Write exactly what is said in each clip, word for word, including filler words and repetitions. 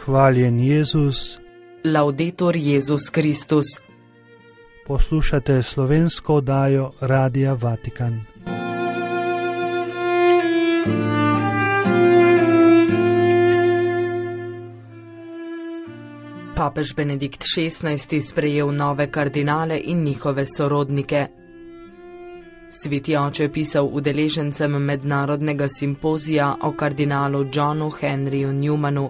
Hvaljen Jezus. Laudetur Jezus Kristus. Poslušate slovensko oddajo Radia Vatikan. Papež Benedikt šestnajsti sprejel nove kardinale in njihove sorodnike. Sveti oče je pisal udeležencem mednarodnega simpozija o kardinalu Johnu Henryju Newmanu.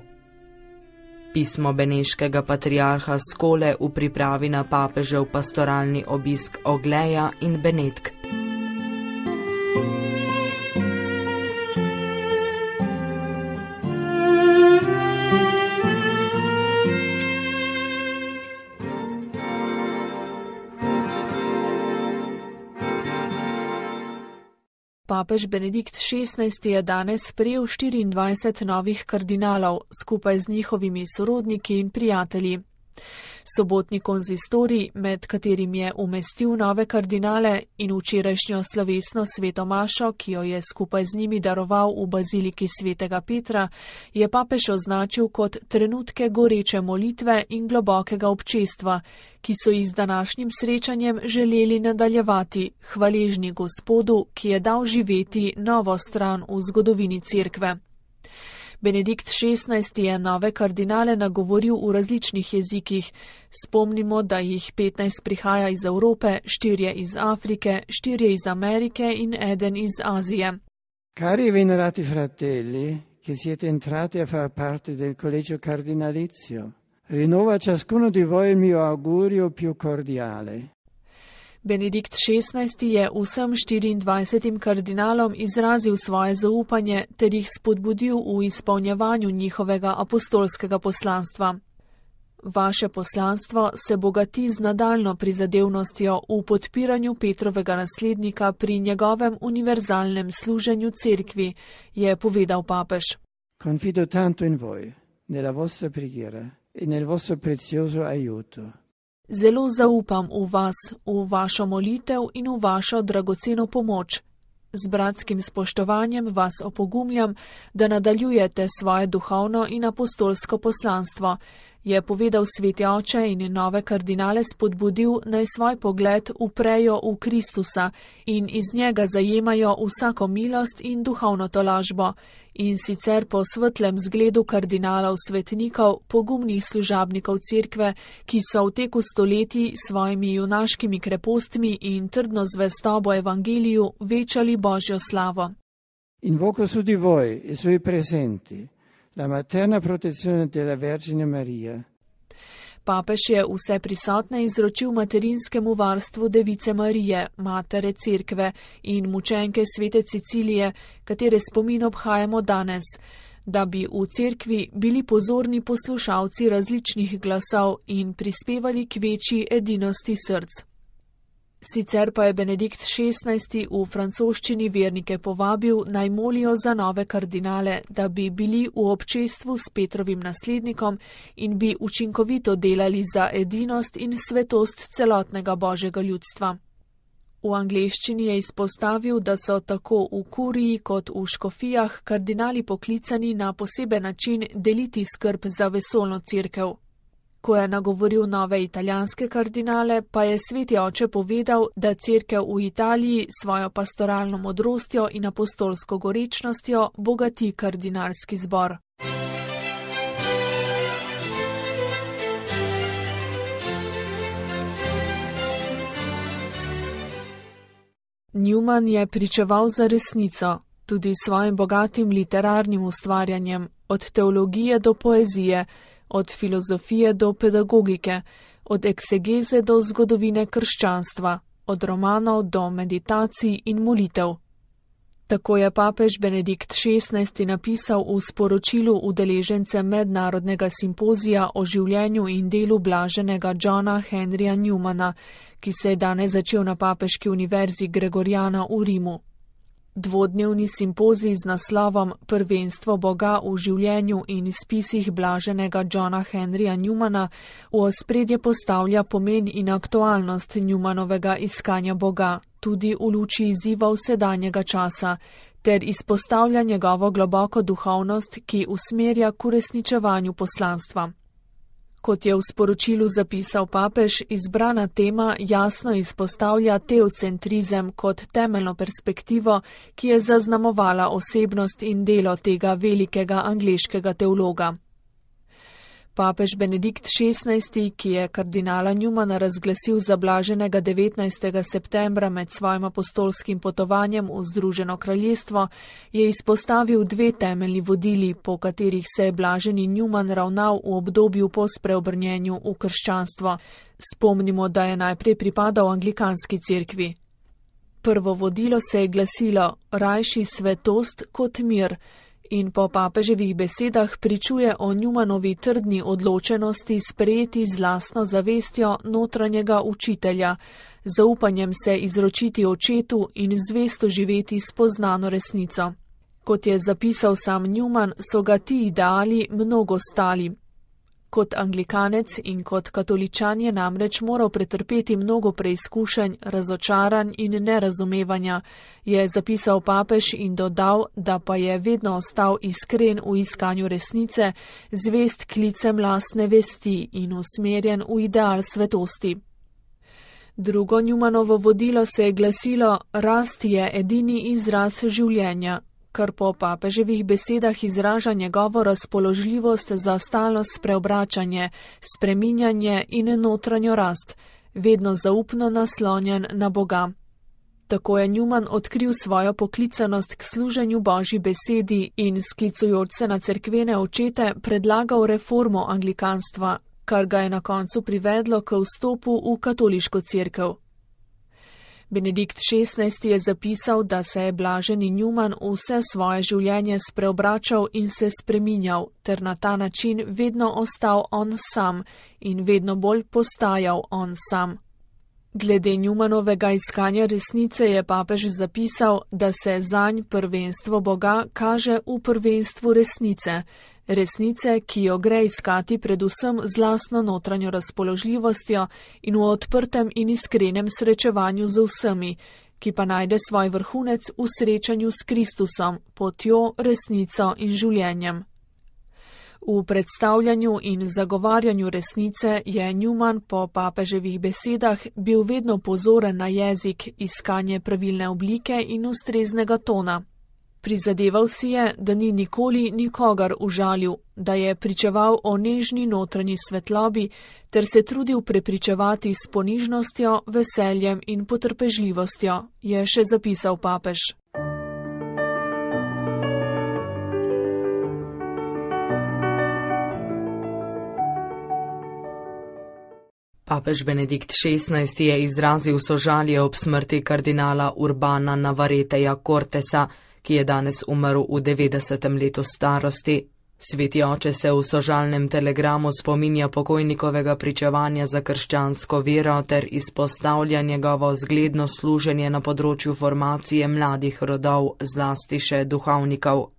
Pismo beneškega patriarha Skole v pripravi na papežev pastoralni obisk Ogleja in Benetk. Papež Benedikt šestnajsti je danes sprejel štiriindvajset novih kardinalov, skupaj z njihovimi sorodniki in prijatelji. Sobotni konzistorij, med katerim je umestil nove kardinale, in včerajšnjo slovesno sveto mašo, ki jo je skupaj z njimi daroval v baziliki svetega Petra, je papež označil kot trenutke goreče molitve in globokega občestva, ki so jih z današnjim srečanjem želeli nadaljevati, hvaležni Gospodu, ki je dal živeti novo stran v zgodovini Cerkve. Benedikt šestnajsti je nove kardinale nagovoril v različnih jezikih. Spomnimo, da jih petnajst prihaja iz Evrope, štirje iz Afrike, štirje iz Amerike in eden iz Azije. Cari venerati fratelli, che siete entrati a far parte del collegio cardinalizio, rinnova ciascuno di voi il mio augurio più cordiale. Benedikt šestnajsti je vsem štiriindvajsetim kardinalom izrazil svoje zaupanje ter jih spodbudil v izpolnjevanju njihovega apostolskega poslanstva. Vaše poslanstvo se bogati z nadaljno prizadevnostjo v podpiranju Petrovega naslednika pri njegovem univerzalnem služenju Cerkvi, je povedal papež. Confido tanto in voi, nella vostra preghiera e nel vostro prezioso aiuto. Zelo zaupam v vas, v vašo molitev in v vašo dragoceno pomoč. Z bratskim spoštovanjem vas opogumljam, da nadaljujete svoje duhovno in apostolsko poslanstvo, je povedal sveti oče in nove kardinale spodbudil, naj svoj pogled uprejo v Kristusa in iz njega zajemajo vsako milost in duhovno tolažbo, in sicer po svetlem zgledu kardinalov svetnikov, pogumnih služabnikov Cerkve, ki so v teku stoletij svojimi junaškimi krepostmi in trdno zvestobo evangeliju večali Božjo slavo. Invoco su di voi e sui presenti la materna protezione della Vergine Maria. Papež je vse prisotne izročil materinskemu varstvu Device Marije, matere Cerkve in mučenke svete Cecilije, katere spomin obhajamo danes, da bi v Cerkvi bili pozorni poslušalci različnih glasov in prispevali k večji edinosti src. Sicer pa je Benedikt šestnajsti v francoščini vernike povabil, naj molijo za nove kardinale, da bi bili v občestvu s Petrovim naslednikom in bi učinkovito delali za edinost in svetost celotnega Božjega ljudstva. V angleščini je izpostavil, da so tako v kuriji kot v škofijah kardinali poklicani na poseben način deliti skrb za vesoljno Cerkev. Ko je nagovoril nove italijanske kardinale, pa je sveti oče povedal, da Cerkev v Italiji svojo pastoralno modrostjo in apostolsko gorečnostjo bogati kardinalski zbor. Newman je pričeval za resnico, tudi svojim bogatim literarnim ustvarjanjem, od teologije do poezije, od filozofije do pedagogike, od eksegeze do zgodovine krščanstva, od romanov do meditacij in molitev. Tako je papež Benedikt šestnajsti napisal v sporočilu udeležence mednarodnega simpozija o življenju in delu blaženega Johna Henryja Newmana, ki se je danes začel na Papeški univerzi Gregoriana v Rimu. Dvodnevni simpozij z naslovom Prvenstvo Boga v življenju in spisih blaženega Johna Henryja Newmana v ospredje postavlja pomen in aktualnost Newmanovega iskanja Boga, tudi v luči izzivov sedanjega časa, ter izpostavlja njegovo globoko duhovnost, ki usmerja k uresničevanju poslanstva. Kot je v sporočilu zapisal papež, izbrana tema jasno izpostavlja teocentrizem kot temeljno perspektivo, ki je zaznamovala osebnost in delo tega velikega angleškega teologa. Papež Benedikt šestnajsti, ki je kardinala Newmana razglasil za blaženega devetnajstega septembra med svojim apostolskim potovanjem v Združeno kraljestvo, je izpostavil dve temeljni vodili, po katerih se je blaženi Newman ravnal v obdobju po spreobrnjenju v krščanstvo. Spomnimo, da je najprej pripadal anglikanski cerkvi. Prvo vodilo se je glasilo: rajši svetost kot mir, in po papeževih besedah pričuje o Newmanovi trdni odločenosti sprejeti z lastno zavestjo notranjega učitelja, zaupanjem se izročiti očetu in zvesto živeti spoznano resnico. Kot je zapisal sam Newman, so ga ti ideali mnogo stali. Kot anglikanec in kot katoličan je namreč moral pretrpeti mnogo preizkušenj, razočaranj in nerazumevanja, je zapisal papež in dodal, da pa je vedno ostal iskren v iskanju resnice, zvest klicem lastne vesti in usmerjen v ideal svetosti. Drugo Newmanovo vodilo se je glasilo: rast je edini izraz življenja, kar po papeževih besedah izraža njegovo razpoložljivost za stalno spreobračanje, spreminjanje in notranjo rast, vedno zaupno naslonjen na Boga. Tako je Newman odkril svojo poklicanost k služenju Božji besedi in, sklicujoč se na cerkvene očete, predlagal reformo anglikanstva, kar ga je na koncu privedlo k vstopu v katoliško cerkev. Benedikt šestnajsti je zapisal, da se je blaženi Newman vse svoje življenje spreobračal in se spreminjal, ter na ta način vedno ostal on sam in vedno bolj postajal on sam. Glede Newmanovega iskanja resnice je papež zapisal, da se zanj prvenstvo Boga kaže v prvenstvu resnice, resnice, ki jo gre iskati predvsem z lastno notranjo razpoložljivostjo in v odprtem in iskrenem srečevanju z vsemi, ki pa najde svoj vrhunec v srečanju s Kristusom, potjo, resnico in življenjem. V predstavljanju in zagovarjanju resnice je Newman po papeževih besedah bil vedno pozoren na jezik, iskanje pravilne oblike in ustreznega tona. Prizadeval si je, da ni nikoli nikogar užalil, da je pričeval o nežni notranji svetlobi ter se trudil prepričevati s ponižnostjo, veseljem in potrpežljivostjo, je še zapisal papež. Papež Benedikt šestnajsti je izrazil sožalje ob smrti kardinala Urbana Navareteja Cortesa, ki je danes umrl v devetdesetem letu starosti. Sveti oče se v sožalnem telegramu spominja pokojnikovega pričevanja za krščansko vero ter izpostavlja njegovo zgledno služenje na področju formacije mladih rodov, zlasti še duhovnikov.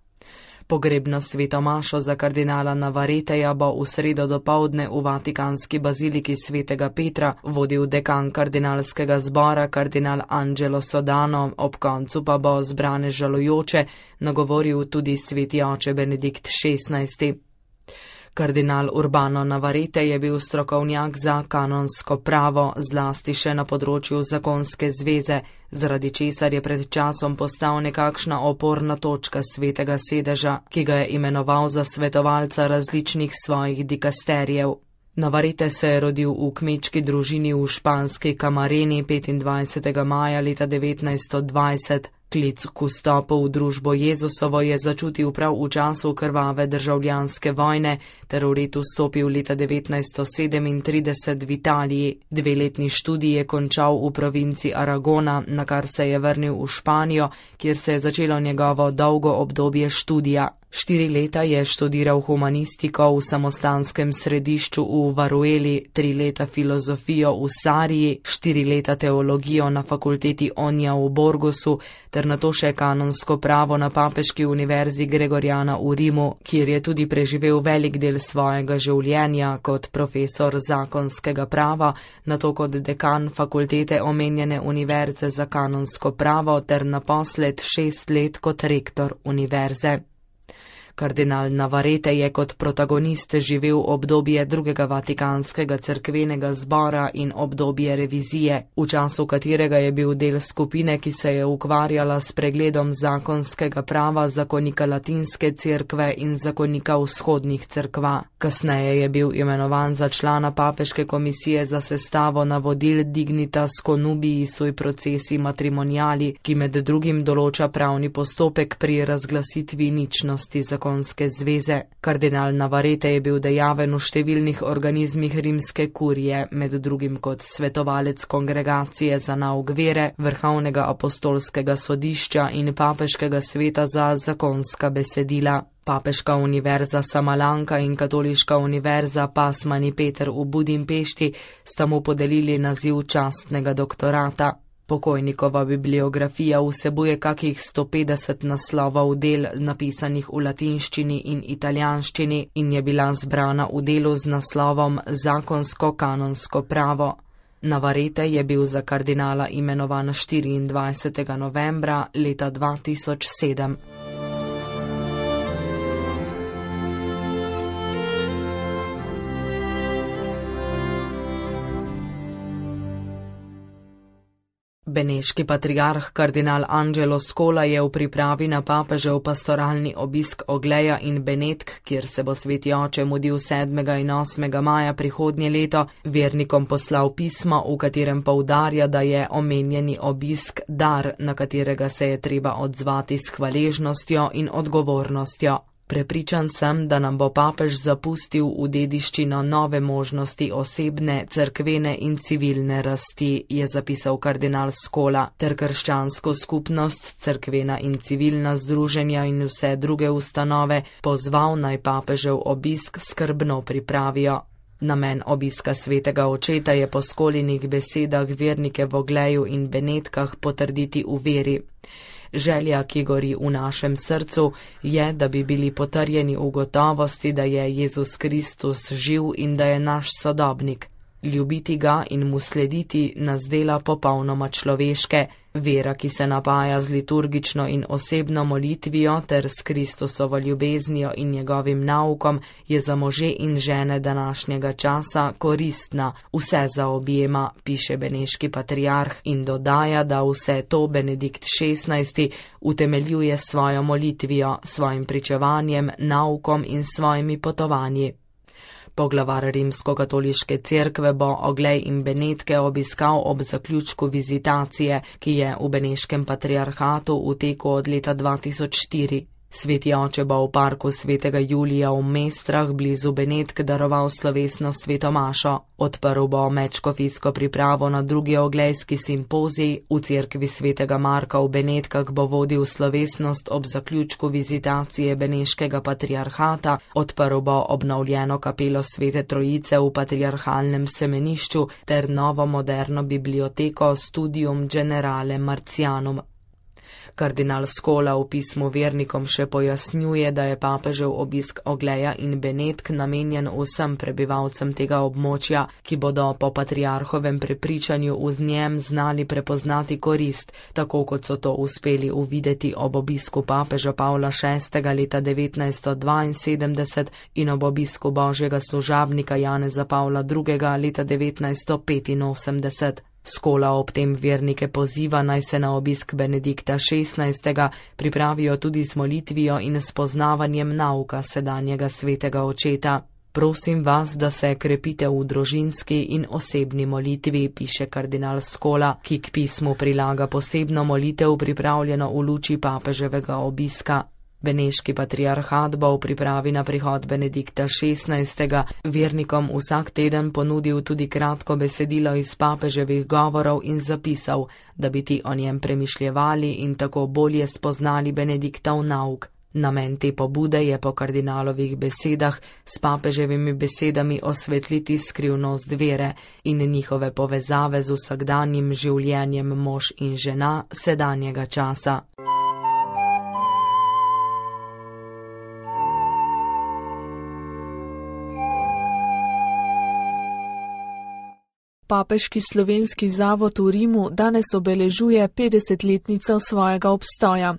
Pogrebno svetomašo za kardinala Navareteja bo v sredo dopoldne v Vatikanski baziliki svetega Petra vodil dekan kardinalskega zbora kardinal Angelo Sodano, ob koncu pa bo zbrane žalujoče nagovoril tudi sveti oče Benedikt šestnajsti. Kardinal Urbano Navarete je bil strokovnjak za kanonsko pravo, zlasti še na področju zakonske zveze, zaradi česar je pred časom postal nekakšna oporna točka svetega sedeža, ki ga je imenoval za svetovalca različnih svojih dikasterijev. Navarete se je rodil v kmečki družini v španski Camareni petindvajsetega maja leta devetnajststo dvajset. Klic k vstopu v družbo Jezusovo je začutil prav v času krvave državljanske vojne ter v letu vstopil leta devetnajststo sedemintrideset v Italiji. Dveletni študij je končal v provinci Aragona, na kar se je vrnil v Španijo, kjer se je začelo njegovo dolgo obdobje študija. Štiri leta je študiral humanistiko v samostanskem središču v Varueli, tri leta filozofijo v Sariji, štiri leta teologijo na fakulteti Onja v Burgosu ter nato še kanonsko pravo na Papeški univerzi Gregoriana v Rimu, kjer je tudi preživel velik del svojega življenja kot profesor zakonskega prava, nato kot dekan fakultete omenjene univerze za kanonsko pravo ter naposled šest let kot rektor univerze. Kardinal Navarrete je kot protagonist živel obdobje drugega vatikanskega cerkvenega zbora in obdobje revizije, v času katerega je bil del skupine, ki se je ukvarjala s pregledom zakonskega prava zakonika latinske cerkve in zakonika vzhodnih cerkva. Kasneje je bil imenovan za člana Papeške komisije za sestavo navodil Dignitas Connubii sui processi matrimoniali, ki med drugim določa pravni postopek pri razglasitvi ničnosti zakonov. Zveze. Kardinal Navarrete je bil dejaven v številnih organizmih rimske kurije, med drugim kot svetovalec kongregacije za nauk vere, Vrhovnega apostolskega sodišča in Papeškega sveta za zakonska besedila. Papeška univerza Samalanka in Katoliška univerza Pasmani Peter v Budimpešti sta mu podelili naziv častnega doktorata. Pokojnikova bibliografija vsebuje kakih sto petdeset naslovov del napisanih v latinščini in italijanščini in je bila zbrana v delu z naslovom Zakonsko-kanonsko pravo. Navarrete je bil za kardinala imenovan štiriindvajsetega novembra leta dva tisoč sedem. Beneški patriarh kardinal Angelo Scola je v pripravi na papežev pastoralni obisk Ogleja in Benetk, kjer se bo sveti oče mudil sedmega in osmega maja prihodnje leto, vernikom poslal pismo, v katerem poudarja, da je omenjeni obisk dar, na katerega se je treba odzvati s hvaležnostjo in odgovornostjo. Prepričan sem, da nam bo papež zapustil v dediščino nove možnosti osebne, cerkvene in civilne rasti, je zapisal kardinal Scola, ter krščansko skupnost, cerkvena in civilna združenja in vse druge ustanove pozval naj papežev obisk skrbno pripravijo. Namen obiska svetega očeta je po Scolinih besedah vernike v Ogleju in Benetkah potrditi v veri. Želja, ki gori v našem srcu, je, da bi bili potrjeni v gotovosti, da je Jezus Kristus živ in da je naš sodobnik. Ljubiti ga in mu slediti nas dela popolnoma človeške. Vera, ki se napaja z liturgično in osebno molitvijo ter s Kristusovo ljubeznijo in njegovim naukom, je za može in žene današnjega časa koristna, vse zaobjema, piše beneški patriarh in dodaja, da vse to Benedikt šestnajsti utemeljuje s svojo molitvijo, svojim pričevanjem, naukom in svojimi potovanji. Poglavar Rimsko-katoliške cerkve bo Oglej in Benetke obiskal ob zaključku vizitacije, ki je v beneškem patriarhatu v teku od leta dva tisoč štiri. Sveti oče bo v parku svetega Julija v Mestrah blizu Benetk daroval slovesno sveto mašo. Odprl bo medškofijsko pripravo na drugi oglejski simpozij, v cerkvi svetega Marka v Benetkah bo vodil slovesnost ob zaključku vizitacije beneškega patriarhata, odprl bo obnovljeno kapelo Svete Trojice v patriarhalnem semenišču ter novo moderno biblioteko Studium Generale Marcianum. Kardinal Scola v pismu vernikom še pojasnjuje, da je papežev obisk Ogleja in Benetk namenjen vsem prebivalcem tega območja, ki bodo po patriarhovem prepričanju v njem znali prepoznati korist, tako kot so to uspeli uvideti ob obisku papeža Pavla šestega leta devetnajststo dvainsedemdeset in ob obisku božjega služabnika Janeza Pavla drugega leta devetnajststo petinosemdeset. Scola ob tem vernike poziva, naj se na obisk Benedikta šestnajstega pripravijo tudi z molitvijo in spoznavanjem nauka sedanjega svetega očeta. Prosim vas, da se krepite v družinski in osebni molitvi, piše kardinal Scola, ki k pismu prilaga posebno molitev pripravljeno v luči papeževega obiska. Beneški patriarhat bo v pripravi na prihod Benedikta šestnajstega vernikom vsak teden ponudil tudi kratko besedilo iz papeževih govorov in zapisal, da bi ti o njem premišljevali in tako bolje spoznali Benediktov nauk. Namen te pobude je po kardinalovih besedah s papeževimi besedami osvetliti skrivnost vere in njihove povezave z vsakdanjim življenjem mož in žena sedanjega časa. Papeški slovenski zavod v Rimu danes obeležuje petdesetletnico svojega obstoja.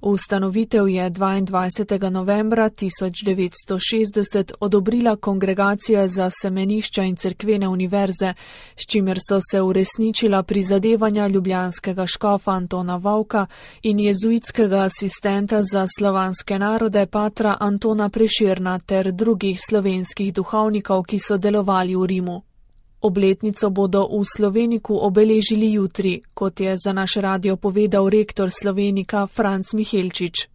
Ustanovitev je dvaindvajsetega novembra tisoč devetsto šestdeset odobrila Kongregacija za semenišča in cerkvene univerze, s čimer so se uresničila prizadevanja ljubljanskega škofa Antona Vovka in jezuitskega asistenta za slovanske narode patra Antona Prešerna ter drugih slovenskih duhovnikov, ki so delovali v Rimu. Obletnico bodo v Sloveniku obeležili jutri, kot je za naš radio povedal rektor Slovenika Franc Mihelčič.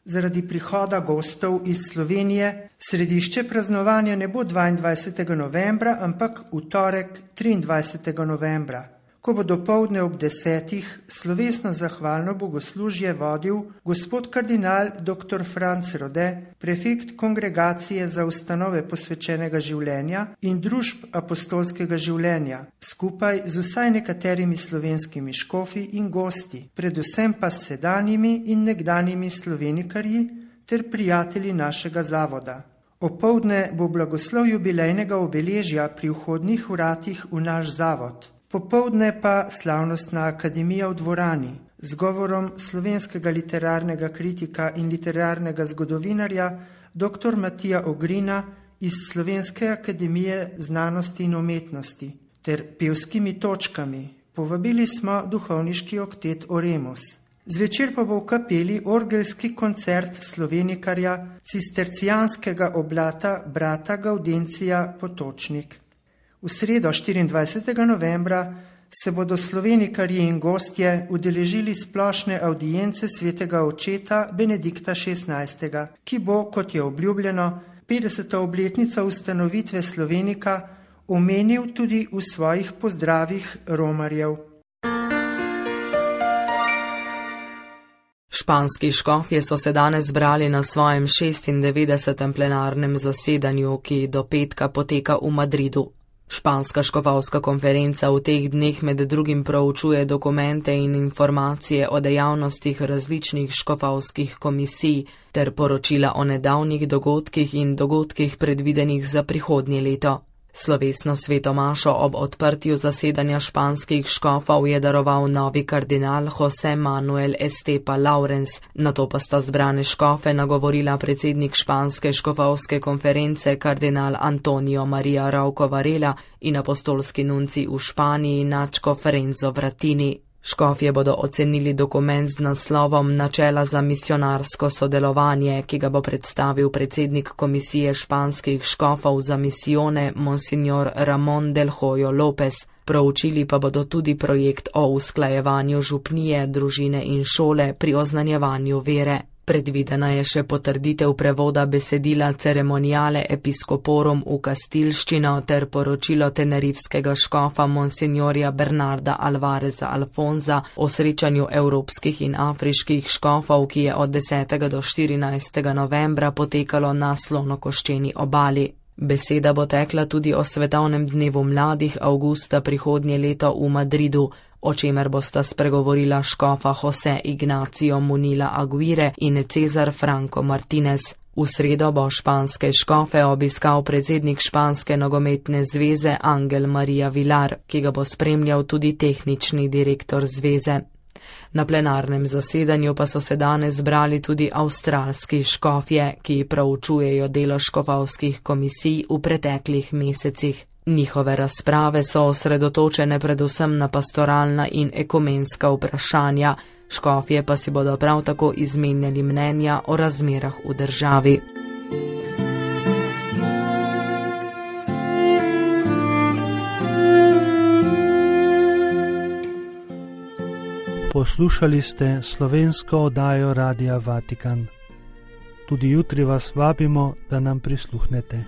Zaradi prihoda gostov iz Slovenije središče praznovanja ne bo dvaindvajsetega novembra, ampak v torek triindvajsetega novembra, ko bo dopoldne ob desetih slovesno zahvalno bogoslužje vodil gospod kardinal doktor Franc Rode, prefekt Kongregacije za ustanove posvečenega življenja in družb apostolskega življenja, skupaj z vsaj nekaterimi slovenskimi škofi in gosti, predvsem pa s sedanjimi in nekdanjimi slovenikarji ter prijatelji našega zavoda. Opoldne bo blagoslov jubilejnega obeležja pri vhodnih vratih v naš zavod. Popoldne pa slavnostna akademija v dvorani z govorom slovenskega literarnega kritika in literarnega zgodovinarja dr. Matija Ogrina iz Slovenske akademije znanosti in umetnosti ter pevskimi točkami. Povabili smo duhovniški oktet Oremus. Zvečer pa bo v kapeli orgelski koncert slovenikarja cistercijanskega oblata brata Gaudencija Potočnik. V sredo štiriindvajsetega novembra se bodo slovenikarji in gostje udeležili splošne avdience svetega očeta Benedikta šestnajstega, ki bo, kot je obljubljeno, petdeseta obletnica ustanovitve Slovenika omenil tudi v svojih pozdravih romarjev. Španski škofje so se danes zbrali na svojem šestindevetdesetem plenarnem zasedanju, ki do petka poteka v Madridu. Španska škofovska konferenca v teh dneh med drugim proučuje dokumente in informacije o dejavnostih različnih škofovskih komisij ter poročila o nedavnih dogodkih in dogodkih predvidenih za prihodnje leto. Slovesno sveto mašo ob odprtju zasedanja španskih škofov je daroval novi kardinal José Manuel Estepa Laurens, nato pa sta zbrane škofe nagovorila predsednik španske škofovske konference kardinal Antonio María Rauco Varela in apostolski nunci v Španiji nadškof Renzo Vratini. Škofje bodo ocenili dokument z naslovom Načela za misionarsko sodelovanje, ki ga bo predstavil predsednik komisije španskih škofov za misijone Monsignor Ramón del Hoyo López. Proučili pa bodo tudi projekt o usklajevanju župnije, družine in šole pri oznanjevanju vere. Predvidena je še potrditev prevoda besedila Ceremoniale Episcoporum v kastilščino ter poročilo tenerifskega škofa Monsignorja Bernarda Alvareza Alfonza o srečanju evropskih in afriških škofov, ki je od desetega do štirinajstega novembra potekalo na Slonokoščeni obali. Beseda bo tekla tudi o svetovnem dnevu mladih avgusta prihodnje leto v Madridu, o čemer bosta spregovorila škofa José Ignacio Munila Aguirre in Cezar Franco Martinez. V sredo bo španske škofe obiskal predsednik španske nogometne zveze Angel María Vilar, ki ga bo spremljal tudi tehnični direktor zveze. Na plenarnem zasedanju pa so se danes zbrali tudi avstralski škofje, ki proučujejo delo škofovskih komisij v preteklih mesecih. Njihove razprave so osredotočene predvsem na pastoralna in ekumenska vprašanja, škofje pa si bodo prav tako izmenjali mnenja o razmerah v državi. Poslušali ste slovensko oddajo Radia Vatikan. Tudi jutri vas vabimo, da nam prisluhnete.